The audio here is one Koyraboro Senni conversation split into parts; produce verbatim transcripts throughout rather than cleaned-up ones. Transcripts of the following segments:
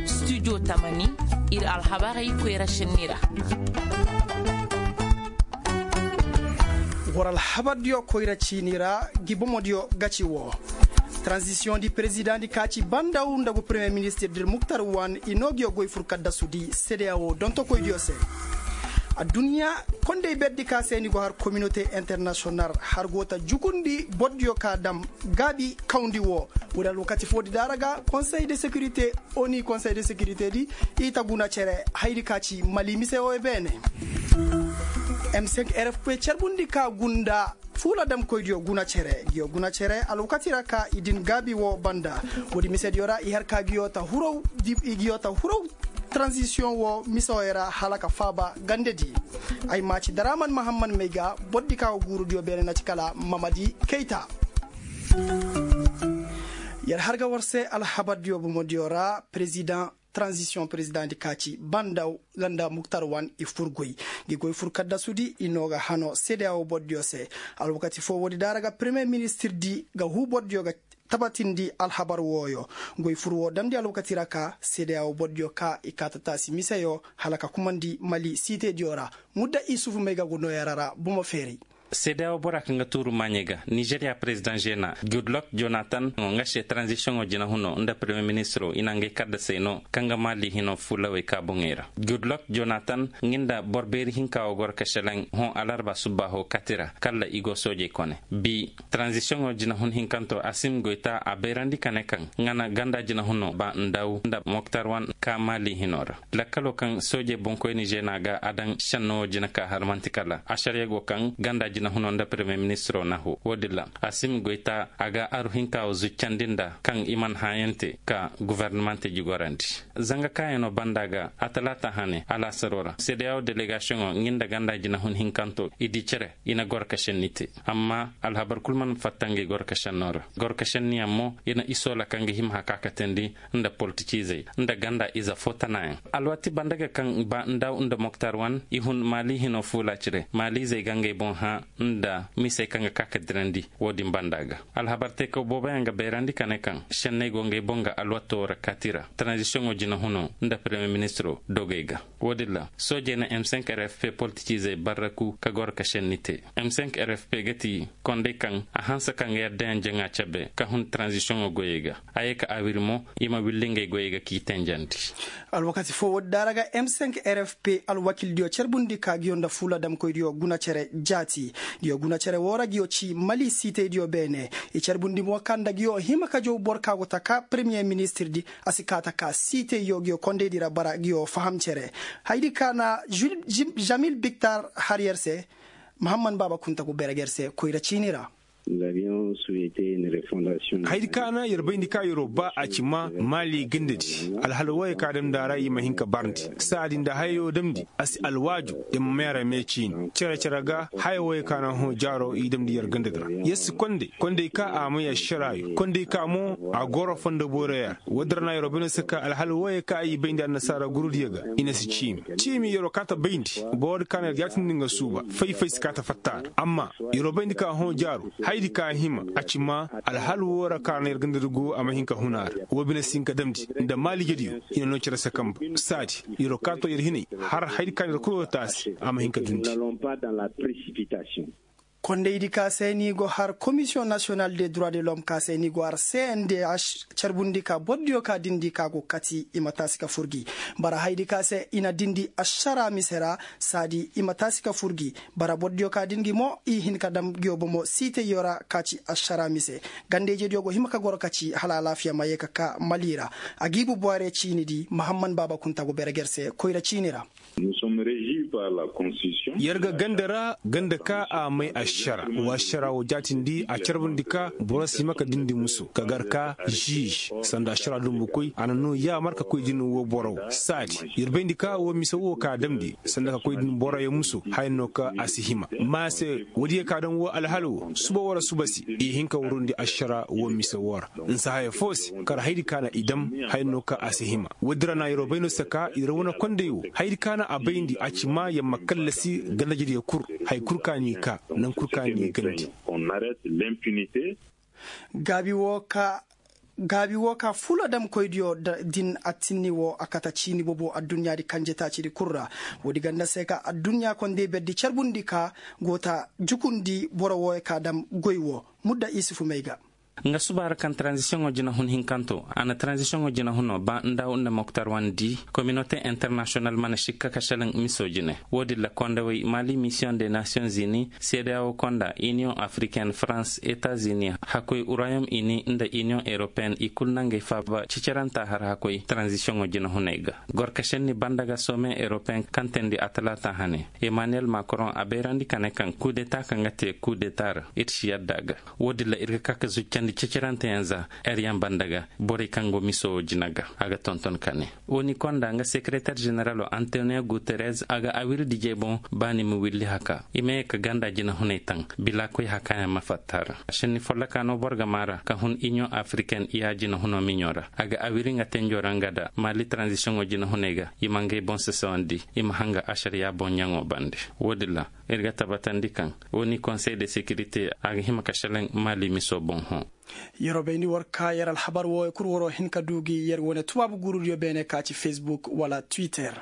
Studio tamani, ir alhabarey koyra senni ra. War alhabardiyo koyra ciini ra, gi bomodiyo ga ci woo. Taranzisiyoŋ di perezidaŋ di ka ci bandaw nda gu peremiyer ministir dir muktar wan i noo ngiyo goy fur kaddasudi sedeya woo dontokoydiyo se. Adduɲɲa kondey berdi ka se ni go har kominote internasiyonal har go ta jukundi bordiyo ka dam gaabi kawndi woo. Woo di alwakati foodi daara ga konsey de sekirite, oni konsey de sekirite di i ta guna cere hayri ka ci mali mise woo beene. M cinq rfp carbundi ka gunda fuula damkoydiyo guna cere ngiyo guna cere alwakati ra ka i din gaabi woo banda. Woodi misediyo ra i har ka ngiyo ta huraw taranzisiyoŋ woo mise woo ra hala ka faaba gandedi. Ay ma ci daraaman mahamman may ga bordi ka go guurudiyo beene na ci kala mamadi kayta. Yer har ga war se alhabardiyo bomodiyo ra perezidaŋ taranzisiyoŋ perezidaŋ di ka ci banda ganda muktar wan i fur goy. Ngi goy fur kaddasudi i noo ga hanoo sedeya woo bordiyo se. Alwakati foo woodi daara ga peremiyer ministir di ga huu bordiyo ga tabatindi alhabar wooyo. Goy fur woo damndi alwakati ra ka sedeya woo bordiyo ka i kaa ta taasi miseyo hala ka kumandi mali siitediyo ra. Mudda isufu may ga go noo yara ra bomo feeray. Sedeya woo bora kaŋ ga tuuru maaɲey ga nizeriya perezidaŋ žena gudlok jonatan nga se taranzisiyoŋo jinahunoo nda peremiyer ministiroo i na ngay kaddasey noo kaŋ ga mali hinoo fuulawey ka boŋey ra. Gudlok jonatan nga nda boro beeri hinka woo goro ka šelaŋ hõ alarba subbaaho kati ra kalla i go soojey kone. Bi taranzisiyoŋo jinahun hinkanto asim goyta a bayrandi ka ne kaŋ nga na ganda jinahunoo ba ndaw nda moktar wan ka mali hinoo ra. Lakkaloo kaŋ soojey boŋkoyni žena ga a daŋ šennoo jina ka har man'ti kala ašaryago kaŋ ganda jinahunoo nda peremiyer ministiroo na hoo woo din ra. Asim goyta a ga aru hinka woo zuccandi nda kaŋ i mana hãayaŋ te ka gofornamante jigorandi. Zanga kaayanoo banda ga a talaata hane alaasaroo ra sedeya woo delegasiyoŋoo nga nda ganda jinahun hinkanto i di cere i na goro ka šenni te. Amma alhabar kul mana fatta ngi goro ka šennoo ra. Goro ka šenniyaŋ mo i na isoo la kaŋ ga hima haka ka teendi nda politiciizey nda ganda ize foo tanaayaŋ. Alwaati banda ga kaŋ ba ndaw nda moktar wan i hun maali hinoo fuula cire maaliizey ga ngey boŋ hã nda misey kaŋ ga ka ka dirandi. Woo din banda ga alhabar teekaw booboyaŋ ga bayrandi ka ne kaŋ šenney go ngey boŋ ga alwaatoo ra kaati ra taranzisiyoŋoo jinahunoo nda peremiyer ministiroo dogey ga. Woo din ra soojey na m cinq rfp politiciizey barraku ka goro ka šenni te. M cinq rfp ga ti kondey kaŋ a hanse ka nga yaddayaŋ jaŋa cabe ka hun taranzisiyoŋo goyey ga. A ye ka a wiri mo i ma willi ngey goyey ga k'i tenjandi. Alwakati foo woodi daara ga m cinq rfp alwakildiyo carbundi ka ngiyo nda fuula damkoydiyo guna cere jaati. Ngiyo guna cere woo ra ngiyo ci mali siitaydiyo beene. I carbundi mo ka nda ngiyo hima ka jaw boro ka go ta ka peremiyer ministir di a si kaa ta ka siitayyo ngiyo kondaydi ra bara ngiyo faham cere. Haydi ka na žamil biktar har yer se. Mahamman baaba kunta go beere ga yer se koyra ciini ra. Haydi ka na yer bayndi ka yeroo ba a ci ma maali gandadi alhala wooyey ka damndi a ra i ma hin ka barndi saadi nda hayoo damndi a si alwaaju. Yer ma meera mee ciini cere cere ga haya wooyey ka na hõ jaaroo i damndi yer gandadi ra yer si kondey kondey ka a may ašaraayo kondey ka mo a goro fondo boyroyaa ra. Woodi ra na yeroo bayndi se ka alhala wooyey ka i bayndi annasaara gurudiyo ga i na si ciimi ciimi yeroo kaa ta bayndi. Boro di ka na yer jaatindi nga suuba fay-fay si kaa ta fatta a ra amma yeroo bayndi ka hõ jaaru hayadi ka hima a ci ma alhala woo ra ka na yer ganda dugu a ma hin ka hun a ra. Woo bine si hin ka damndi nda maalijediyo i na noo cere se kamba saadi yeroo kaa to yer hinay har hayadi ka na yer kul woo taasi a ma hin ka dundi. Kondaydi ka se ni go har komisiyoŋ nasiyonal de droit de lom ka se ni go har cndh carbundi ka bordiyo ka dindi ka go kati i ma taasi ka fur gi bara hayadi ka se i na dindi ašara mise ra. Saadi i ma taasi ka fur gi bara bordiyo ka din gi mo i hin ka dam ngiyo bomo siitayyo ra ka ci ašara mise. Ganda-ijediyo go hima ka goro ka ci hala alaafiya ma yee ka ka mali ra. Agiibu boire ciini di mahamman baaba kunta go beere ga yer se koyra ciini ra. Yer ga ganda ra ganda ka a may ašara wa ašara woo jaatindi a carbundi ka boro si hima ka dindi muso ka gar ka žiž sanda ašara dumbukoy a na noo yaamar ka koy din woo boro woo saadi yer bayndi ka woo mise woo ka damndi sanda ka koy din boroyo muso haya no ka a si hima. Maase woodiyo ka daŋ woo alhala woo suba woo ra suba se i hin ka warundi ašara woo mise woo ra. Nsa haya foo se kar hayadi ka na i dam haya no ka a si hima. Woodi ra na yeroo bay no se ka yer wane kondey woo hayadi ka na a bayndi a ci ma yer ma kallasi gandajediyo kul haya kul ka n'i ka naŋ kul ka n'i gandi. Gaabi woo ka Gaabi woo ka fula damkoydiyo din a tinni woo a kata ciini bobo adduɲɲaadi kanjetaacidi kul ra. Woodi ganda se ka adduɲɲa kondey berdi carbundi ka go ta jukundi boro wooyo ka dam goy woo. Mudda isufu may ga. Nga subaara kaŋ taranzisiyoŋo jinahun hinkanto a na taranzisiyoŋo jinahunoo ba ndaawu nda moktar wandi kominote internasiyonal mana sikka ka selaŋ misoo jine. Woodin ra kondawey mali misiyoŋ de nasiyoŋ zini seedeya woo konda iniyoŋ afriken farans etazini hakkoy urayom ini nda iniyoŋ eropeyen i kul na ngey faaba ciceranta har hakkoy taranzisiyoŋo jinahuney ga. Gorkasenni banda ga soome eropeyen kaŋ teendi a talaata hane, emaniyel makron a bayrandi ka ne kaŋ kudeta kaŋ ga te kudeta ra ir si yadda a ga. Woodin ra ir ga ka ka zuccandi ceceranteyaŋ za eryaŋ banda ga borey kaŋ go miso wo jina ga a ga tonton ka ne. Oni konda nga sekereter ženeralo antonio guterres a ga awiri dijey boŋ ba ni ma willi haka i ma ye ka ganda jinahuney taŋ bilaakoy hakayaŋ ma fatta ra. Senni folloka no boro ga maa ra ka hun iniyoŋ afriken iya jinahunoo miɲo ra a ga awiri nga tenjo ra nga da mali taranzisiyoŋo jinahuney ga i ma ngey boŋ sasawandi i ma hanga asariya boŋ ɲaŋo bande. Woodin ra ir ga tabatandi kaŋ woo ni konsey de sekirite a ga hima ka selaŋ mali miso boŋ hõ. Yeroo bayndi war ka yer alhabar wooyo kul waroo hin ka duu gi yer wane tubaabu guurudiyo beene ka ci fesbuk wala twitter.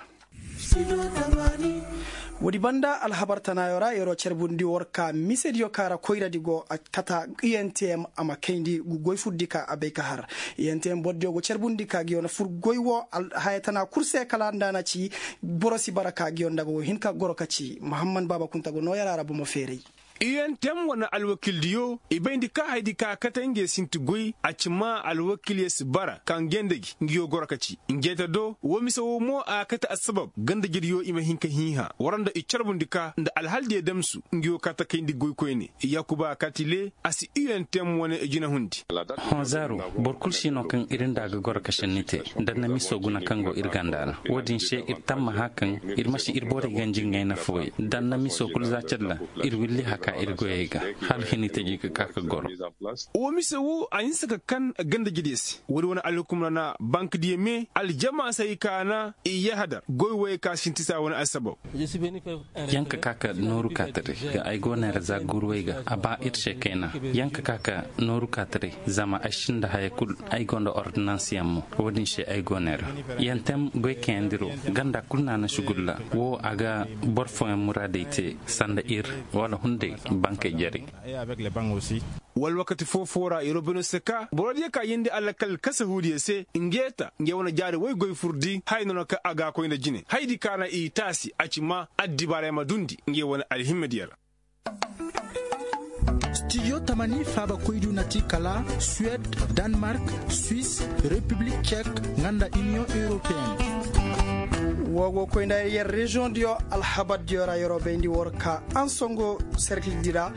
Woodi banda alhabar tanaayo ra yeroo carbundi war ka misediyo ka ra koyradi go a kata. Untm a ma kayndi goy furdi ka a bay ka har. Untm bordiyo go carbundi ka giyo na fur goy woo haya tana kul se kala nda a na ci boro si bara ka giyo nda go hin ka goro ka ci muhamman baaba kunta go nooyara ra bomo feeray. Untm wane alwakildiyo i bayndi ka haydi ka kate ngey sinti goy a ci maa alwakilyo si bara ka ngey nda gi nguyo goro ka ci. Ngey ta do woo mise woo mo a ga kate assabab gandajediyo i ma hin ka hiiha war nda i carbundi ka nda alhaldiyo damsu nguyo ka ta kayndi goykoyne. Yaakuba katile a si untm wane i jinahundi. Hõ zaaru boro kul si no kaŋ ir nda a ga goro ka senni te. Danna miso guna kaŋ go ir ganda ra woodin se ir tammaha kaŋ ir ma si ir borey ganji ngey na fooyey danna miso kul za calla. Ir willi haka ir goyey ga hala hini taji ga ka ka goro. Wo mise wo a hinsa ka kan gandajediyo se woodi wane alhukum ra na bankdiyo me aljama se ay kaana i yahadar goy woyey ka sinti saa wane alsabab. Yaŋ ka ka ka nooru kaataray ga ay go neera za guuruwey ga a ba ir se kayna. Yaŋ ka ka ka nooru kaataray zama ay sinda haya kul. Ay go nda ordonansiyaŋ mo woodin se ay go neera. Yaŋ tem goy kayandiro ganda kul na na sugulla wo a ga boro fooyaŋ muraadey te sanda ir wala hunday bankey jarey. Wala wakati foo-foo ra yeroo bayno se ka borodiyo ka yeendi alakal kasahuudiyo se ngey ta ngey wane jaari woy goy furdi haya noona kaŋ a ga a koy nda jine hayadi ka na i taasi a ci ma addibaarey ma dundi ngey wane alhimmadiyo ra. Stijo tamani faabakoydu na ti kala suwed, danmark, swis, repiblik cek, nga nda iniyoŋ europeyen. Woo go koy nda yer reziyoŋdiyo alhabardiyo ra yeroo bayndi war ka ansongo serkildi ra.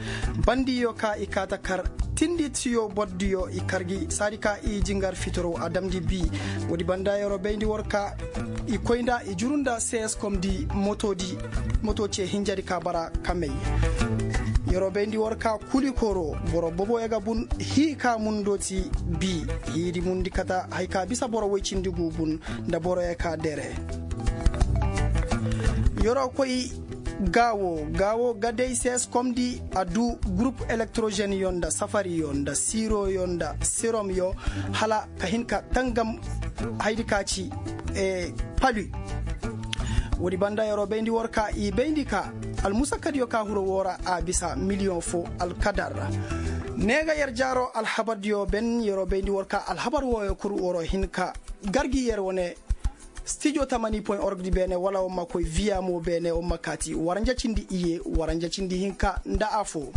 Bandiyo ka i kaa ta kar tindi tiyo bordiyo i kar gi saadi ka i jingar fitoro a damndi bii. Woodi banda yeroo bayndi war ka i koy nda i juru nda seeskomdi motoci hinjadi ka bara kamey. Yeroo bayndi war ka kuli koro boro boboyo ga bun hii ka mun dooti bii. Hiidi mundi kata haya ka bisa boro woy cindi gu bun nda boroyo ka dere. Yeroo koy gaawo gaawo ga day seeskomdi a duu gurup elektrozenyo nda safariyo nda siroyo nda seromyo hala ka hin ka tangam haydi ka ci pali. Woodi banda yeroo bayndi war ka i bayndi ka almusakadiyo ka huro woo ra a bisa miliyoŋ foo alkadar ra. Ne ga yer jaaroo alhabardiyo ben yeroo bayndi war ka alhabar wooyo kul waroo hin ka gar gi yer wane. Stijo tamani point org di beene wala war ma koy viya mo beene war ma kaati waranja cindi iye waranja cindi hinka nda afoo.